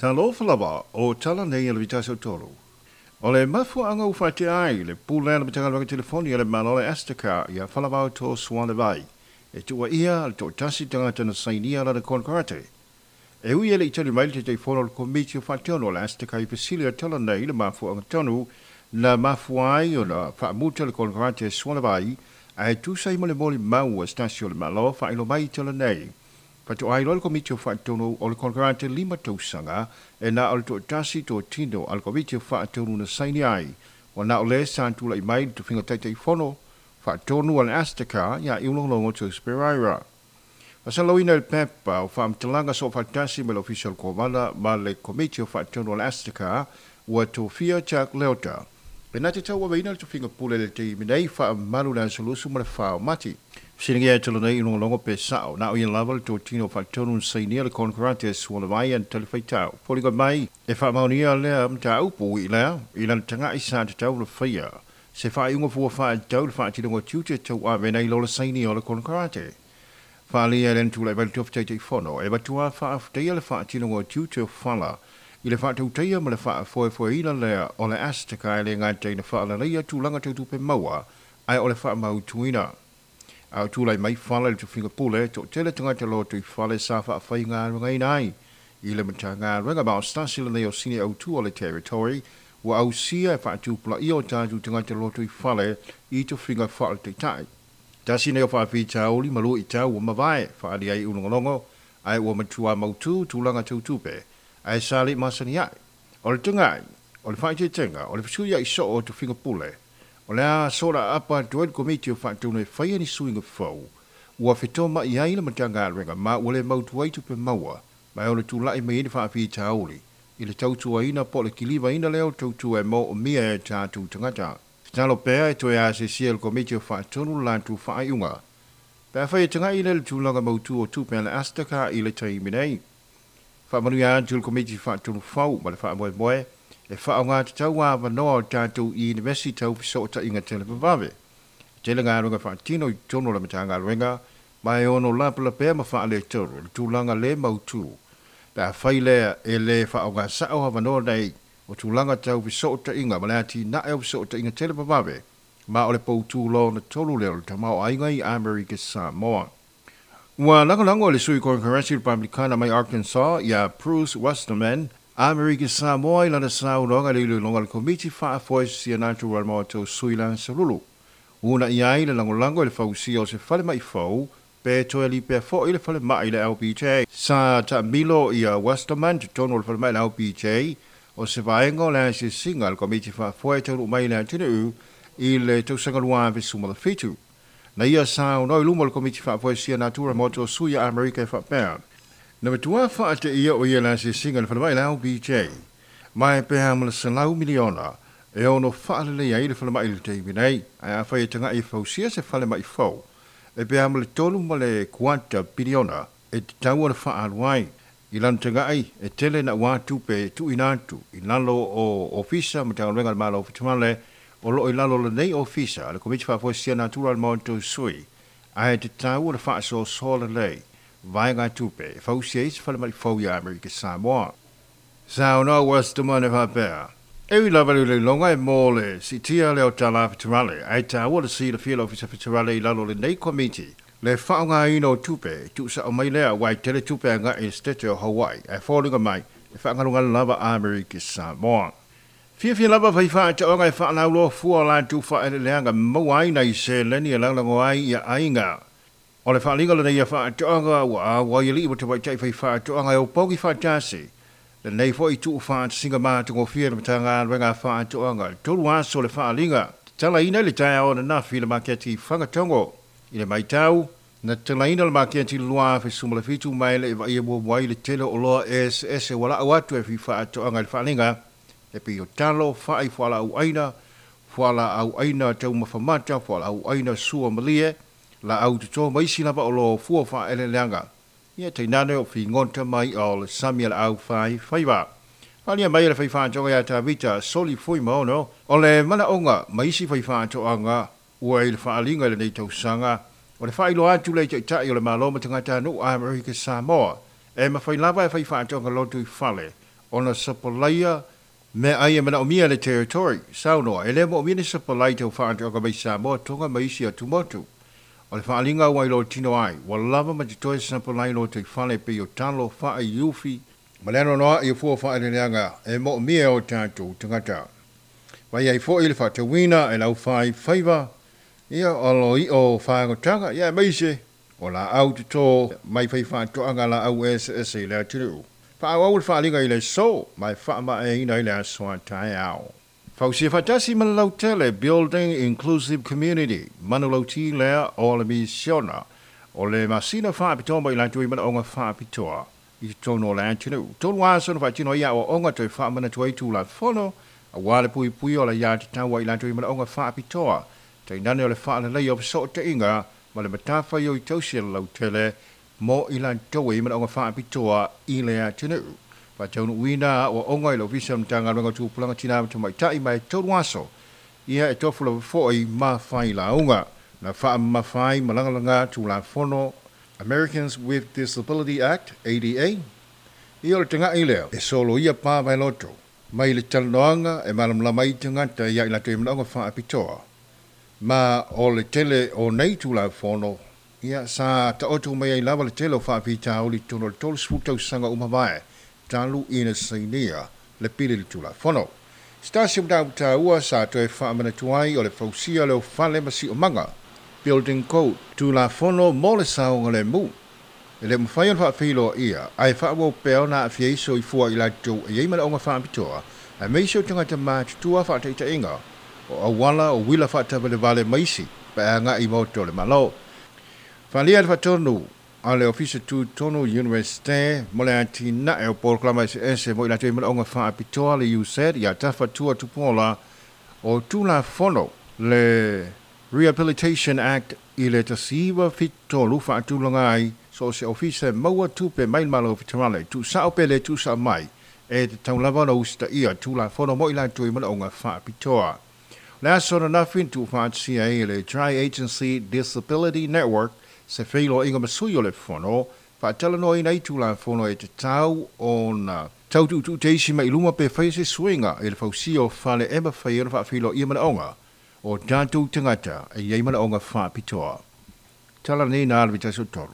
Talofa lava o tala nei a le Vitasi o Tolu. O le mafuaaga ua faatea ai le pule a le Matagaluega Telefoni a le Malo le Astica ia Falavao To Sualevai e tuuaia le toatasi tagata na sainia lana konekarate. E ui e le i tali mai le Taitaifono o le Komiti o Faatonu o le Astica i fesili a tala nei i le mafuaaga tonu na mafua ai ona faamuta le konekarate a Sualevai ae tusa ai ma le molimau a se tasi o le Malo faailoa mai i tala nei. Faatoa iloa le Komiti o Faatonu o le konekarate 5 tausaga e na o le toatasi totino a le Komiti o Faatonu na saini ai. Ua na o le sa tulai mai le tofiga Taitaifono Faatonu a le Astica ia Iulogologo Jose Pereira. Faasalalouina i le pepa o faamatalaga soofaatasi mai le Ofisa o le Kovana ma le Komiti o Faatonu a le Astica ua tofia Jack Leota e na te tauaveina le tofiga pule i le taimi nei faamalu le aso 24 o Mati. Fesiligia e tala nei Iulogologo pe sao na o ia lava le totino faatonu na sainia le konekarate a Sualevai ana talifaitau. Foliga mai e faamaonia lea mataupu i lea i lana tagai sa tatau ona faia se faaiuga fua faatatau i le faatinoga o tiute tauave nai lo le sainia o le konekarate. Faaalia e lena tulai mai le tofi Taitaifono e matua faafetaia le faatinoga o tiute o Fala i le faatautaia ma le faafoefoeina lea o le Astica e le gata ina faaleleia tulaga tau tupe maua ae o le faamautuina. A o tulai mai Fala i le tofiga pule, toatele tagata loto i fale sa faafaigaluegaina ai i le Matagaluega ma o se tasi lenei o sini autu o le Territory ua ausia e faatupulaia o tatou tagata loto i fale i tofiga faaletaitai. Tasi nei o faafitauli ma luitau ua mavae faaalia ai ulogologo ae ua matua mautu tulaga tau tupe ae sa le i masani ai. O le tagai, o le faaeteetega, o le fesuiai soo o tofiga pule, o le a sola aapa atu ai le Komiti o Faatonu e faia ni suiga fou ua fetoma'i ai le Matagaluega ma ua le mautu ai tupe maua ma e ono tula'i mai ai ni faafitauli i le tautuaina po o le kilivaina lea o tautua e moomia e tatou tagata. Tatalo pea e toe asesia e le Komiti o Faatonu le latou faaiuga pe afai e tagai lea i le tulaga mautu o tupe a le Astica i le taimi nei. Faamanuia atu i le Komiti Faatonu fou ma le faamoemoe e faaaoga tatau avanoa o tatou Iunivesiti tau fesootaiga televavave. E tele galuega faatino i totonu o le Matagaluega ma e ono lapelapea ma faaletonu i le tulaga le mautu pe afai lea e le faaaoga sao avanoa nei o tulaga tau fesootaiga ma le atinae o fesootaiga televavave ma o le poutu lona tolu lea o le tamaoaiga i Amerika Samoa. Ua lagolago e le sui Konekarasi Repapelikana mai Arkansas ia Bruce Westerman Amerika Samoa i lana saunoaga i le iloiloga a le Komiti Faafoe Sianatu Ramoto Sui Lansalulu. Uunai ai le lagolago i le fausia o se falemai fou pe toe lipea foi le falemai i le LBJ. Sa taamilo ia Westerman totonu o le falemai i le LBJ o se vaega o le asiasiga a le Komiti Faafoe e taunuu mai i le atunuu i le tausaga 2017. Na ia saunoa i luma o le Komiti Faafoe Sia Natura mo to Sui a Amerika e faapea. Na matua faateia o ia le asiasiga i le falemai i le LBJ, ma e pe a ma le $100 miliona e ono faaleleia ai le falemai i le taimi nei, ae afai e tagai e fausia se falemai fou, e pe a ma le 3.25 piliona e tatau ona faaalu ai. I lana tagai, e tele naua tupe e tuuina atu i lalo o Ofisa Matagaluega a le Malo Fetumale o loo i lalo o lenei Ofisa a le Komiti Faafoe Sia Natura le Maota Sui, ae tatau ona faasoasoa lelei vaega tupe e fausia ai se falemai fou ia Amerika Samoa. Saunoa Westerman e faapea, E ui lava i le iloiloga e mo le siitia lea o tala feterale, ae taua le silafia e le Ofisa Feterale i lalo o lenei Komiti le faaaogaina o tupe e tuusao mai lea aua e tele tupe agai i le Setete o Hawaii ae foliga mai e faagalugalu lava Amerika Samoa. Fiafia lava fai faatoaga e faalauloa fua o latou faaeleeleaga maua ai nai seleni e lagolago ai ia aiga. O le faaaliga lenei a faatoaga ua auai alii ma tamaitai fai faatoaga e opogi faatasi. Lenei foi tuufaatasiga matagofie a le Matagaluega a Faatoaga i le 3 aso o le faaaliga. Tatalaina i le taeao ananafi i le maketi i Fagatogo. I le matau, na tatalaina le maketi i le 2017 ma e le i vaaia muamua ai le tele o oloa eseese ua lau atu e fai faatoaga i le faaaliga e pei o talo, fai, fualaau aina, fualaau aina taumafa mata, fualaau aina sua malie, laau toto ma isi lava oloa o fua faaeleeleaga. Ia tainane o figota mai o le sami a le au fai faiva. Faaalia mai e le fai faatoaga ia Tavita Soli Fuimaono o le manaoga ma isi fai faatoaga ua i le faaaliga i lenei tausaga o le faailoa atu lea i taitai o le Malo ma tagatanuu a Amerika Samoa e mafai lava e fai faatoaga loto i fale Ona sapalaia meaai e manaomia e le Territory. Saunoa, e le moomia ni sapalai tau faatoaga mai Samoa, Toga ma isi atumotu. O le faaaliga ua iloa tino ai, ua lava ma totoe sapalai lotoifale e pei o talo, fai, ufi, ma le anoanoai o fua o faaeleeleaga e moomia e o tatou tagata. Vai ai foi le faatauina e le aufaifaiva, ia o lo i'o fagotaga, ia aemaise o laau toto mai faifaatoaga laau eseese i le atunuu. Faaauau le faaaliga i le aso, ma e faamaeaina i le aso a taeao. Fausia faatasi ma le lautele, Building Inclusive Community, manulauti lea o le misiona o le masina faapitoa mo i latou i manaoga faapitoa i totonu o le atunuu. 3 aso na faatino ai aoaoga toe faamanatu ai Tulafono aua le puipuia o le aiatatau a i latou i manaoga faapitoa, tainane o le faaleleia o fesootaiga ma le matafaioi tausi a le lautele mo i latou i manaoga faapitoa i le atunuu. Faataunuuina aoaoga i le Ofisa o le Matagaluega o Tupulaga Tina ma Tamaitai ma e 3 aso ia e tofu lava foi ma failauga na faamamafa ai ma lagalaga Tulafono Americans with Disability Act, ADA, ia o le tagai lea e soloia pa vaeloto mai le talanoaga e malamalama ai tagata ia i latou i manaoga faapitoa. Ma o le tele o nei Tulafono, ia sa taoto mai ai lava le tele o faafitauli i totonu o le 30 tausaga ua mavae talu ina sainia le pili i le Tulafono. Se tasi o mataupu taua sa toe faamanatu ai o le fausia lea o fale ma siomaga, Building Code, Tulafono mo le saogalemu. E le mafai ona faafeiloaia, ae faaauau pea ona aafia ai soifua i latou e i ai manaoga faapitoa, aemaise o tagata matutua faataitaiga, o auala, o uila faatavalevale ma isi pe a agai i maota o le Malo. Faaalia le faatonu a le Ofisa Tutotonu Iunivesite mo le atinae o polokalama eseese mo i latou i manaoga faapitoa le USED ia Tafatua Tupuola o Tulafono le Rehabilitation Act i le 1973 faatulaga ai so o se ofisa e maua tupe mai le Malo Feterale, tuusao pe le tuusao mai, e tatau lava ona usitaia Tulafono mo i latou i manaoga faapitoa. O le aso ananafi na tuufaatasia ai e le Tri-Agency Disability Network se feiloaiga ma sui o le Fono, faatalanoaina ai Tulafono e tatau ona tau tuutuuteisi mai i luma pe faia se suiga i le fausia o fale e mafai ai ona faafeiloaia manaoga o tatou tagata e i ai manaoga faapitoa. Tala nei na alu i 13.